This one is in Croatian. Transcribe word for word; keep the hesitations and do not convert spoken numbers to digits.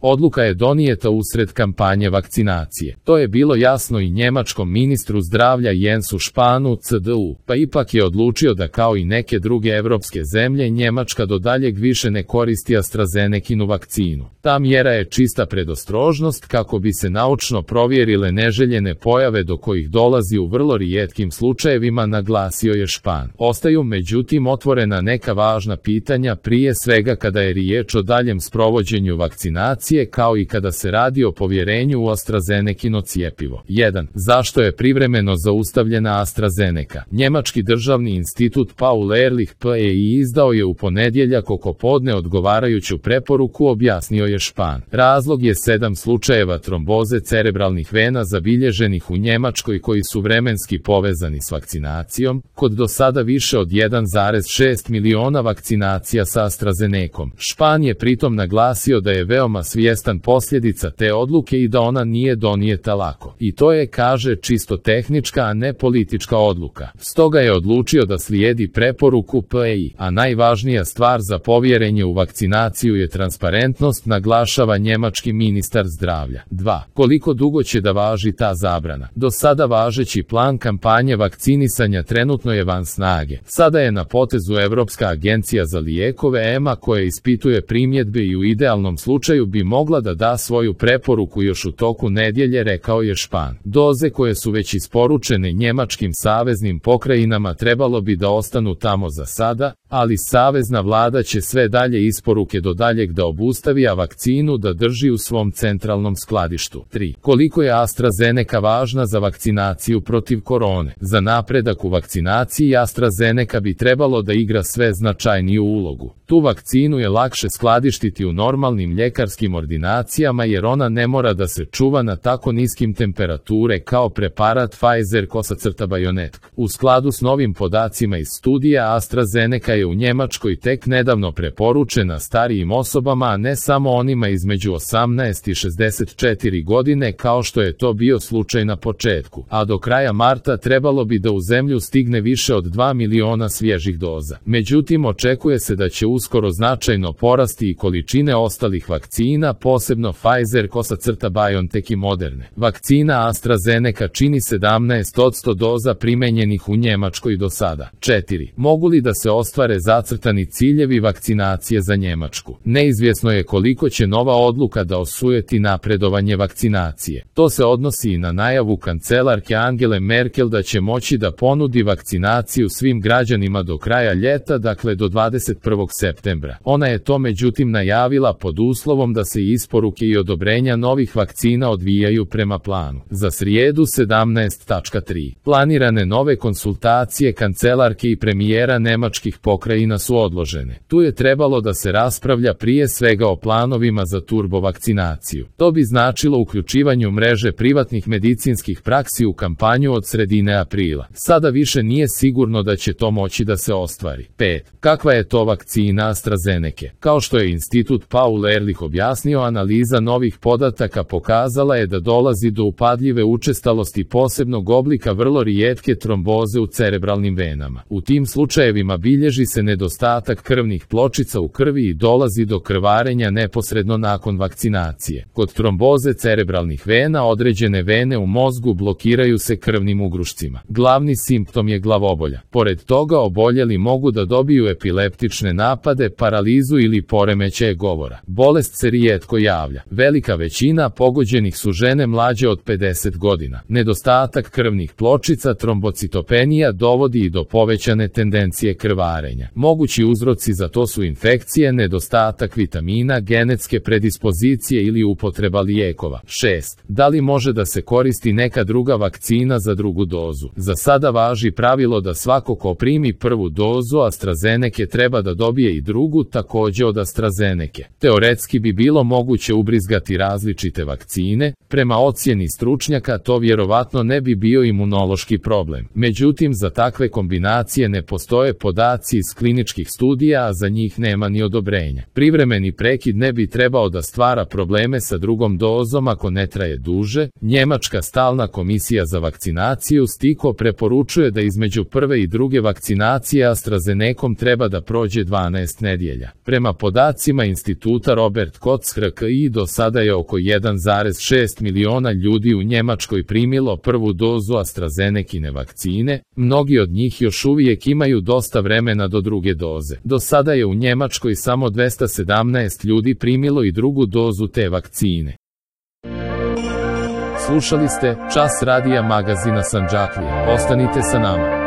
Odluka je donijeta usred kampanje vakcinacije. To je bilo jasno i njemačkom ministru zdravlja Jensu Spahnu C D U, pa ipak je odlučio da kao i neke druge evropske zemlje Njemačka do daljeg više ne koristi AstraZenekinu vakcinu. Ta mjera je čista predostrožnost kako bi se naučno provjerile neželjene pojave do kojih dolazi u vrlo rijetkim slučajevima, naglasio je Spahn. Ostaju međutim otvorena neka važna pitanja, prije svega kada je riječ o daljem sprovođenju vakcinacije kao i kada se radi o povjerenju u AstraZenekino cjepivo. jedan. Zašto je privremeno zaustavljena AstraZeneca? Njemački državni institut Paul Ehrlich P E I izdao je u ponedjeljak oko podne odgovarajuću preporuku, objasnio je Spahn. Razlog je sedam slučajeva tromboze cerebralnih vena zabilježenih u Njemačkoj koji su vremenski povezani s vakcinacijom, kod do sada više od jedan zarez šest miliona vakcinacija sa AstraZenecom. Spahn je pritom naglasio da je veoma svjestan posljedica te odluke i da ona nije donijeta lako. I to je, kaže, čisto tehnička, a ne politička odluka. Stoga je odlučio da slijedi preporuku P E I, a najvažnija stvar za povjerenje u vakcinaciju je transparentnost, naglašava njemački ministar zdravlja. dva. Koliko dugo će da važi ta zabrana? Do sada važeći plan kampanje vakcinisanja trenutno je van snage. Sada je na potezu Europska agencija za lijekove E M A koja ispituje primjedbe i u idealnom slučaju bi mogla da da svoju preporuku još u toku nedjelje, rekao je Spahn. Doze koje su već isporučene njemačkim saveznim pokrajinama trebalo bi da ostanu tamo za sada, ali savezna vlada će sve dalje isporuke do daljeg da obustavi, a vakcinu da drži u svom centralnom skladištu. tri. Koliko je AstraZeneca važna za vakcinaciju protiv korone? Za napredak u vakcinaciji AstraZeneca bi trebalo da igra sve značajniju ulogu. Tu vakcinu je lakše skladištiti u normalnim ljekarskim ordinacijama jer ona ne mora da se čuva na tako niskim temperature kao preparat Pfizer-BioNTech. U skladu s novim podacima iz studija, AstraZeneca je u Njemačkoj tek nedavno preporučena starijim osobama, a ne samo onima između osamnaest i šezdeset četiri godine kao što je to bio slučaj na početku, a do kraja marta trebalo bi da u zemlju stigne više od dva miliona svježih doza. Međutim, očekuje se da će uskoro značajno porasti i količine ostalih vakcina, posebno Pfizer-BioNTech i Moderne. Vakcina AstraZeneca čini sedamnaest posto doza primenjenih u Njemačkoj do sada. četiri. Mogu li da se ostvare zacrtani ciljevi vakcinacije za Njemačku? Neizvjesno je koliko će nova odluka da osujeti napredovanje vakcinacije. To se odnosi i na najavu kancelarke Angele Merkel da će moći da ponudi vakcinaciju svim građanima do kraja ljeta, dakle do dvadeset prvog septembra. Ona je to međutim najavila pod uslovom da se isporuke i odobrenja novih vakcina odvijaju prema planu. Za srijedu sedamnaest tri. Planirane nove konsultacije kancelarke i premijera nemačkih pokrajina su odložene. Tu je trebalo da se raspravlja prije svega o planovima za turbovakcinaciju. To bi značilo uključivanju mreže privatnih medicinskih praksi u kampanju od sredine aprila. Sada više nije sigurno da će to moći da se ostvari. pet. Kakva je to vakcina AstraZeneca? Kao što je institut Paul Ehrlich objasnio, analiza novih podataka pokazala je da dolazi do upadljive učestalosti posebnog oblika vrlo rijetke tromboze u cerebralnim venama. U tim slučajevima bilježi se nedostatak krvnih pločica u krvi i dolazi do krvarenja neposredno nakon vakcinacije. Kod tromboze cerebralnih vena određene vene u mozgu blokiraju se krvnim ugrušcima. Glavni simptom je glavobolja. Pored toga oboljeli mogu da dobiju epileptične napade, paralizu ili poremećaje govora. Bolest se rijetko javlja. Velika većina pogođenih su žene mlađe od pedeset godina. Nedostatak krvnih pločica, trombocitopenija, dovodi i do povećane tendencije krvarenja. Mogući uzroci za to su infekcije, nedostatak vitamina, genetske predispozicije ili upotreba lijekova. šest. Da li može da se koristi neka druga vakcina za drugu dozu? Za sada važi pravilo da svako ko primi prvu dozu AstraZeneca treba da dobije i drugu, također od AstraZeneca. Teoretski bi bilo moguće ubrizgati različite vakcine, prema ocjeni stručnjaka to vjerovatno ne bi bio imunološki problem. Međutim, za takve kombinacije ne postoje podaci iz kliničkih studija, a za njih nema ni odobrenja. Privremeni prekid ne bi trebao da stvara probleme sa drugom dozom ako ne traje duže. Njemačka stalna komisija za vakcinaciju STIKO preporučuje da između prve i druge vakcinacije AstraZenecom treba da prođe dvanaest nedjelja. Prema podacima instituta Robert Koch i do sada je oko jedan zarez šest miliona ljudi u Njemačkoj primilo prvu dozu AstraZenekine vakcine, mnogi od njih još uvijek imaju dosta vremena do druge doze. Do sada je u Njemačkoj samo dvesta sedamnaest ljudi primilo i drugu dozu te vakcine. Slušali ste Čas radija magazina Sandžaklije. Ostanite sa nama.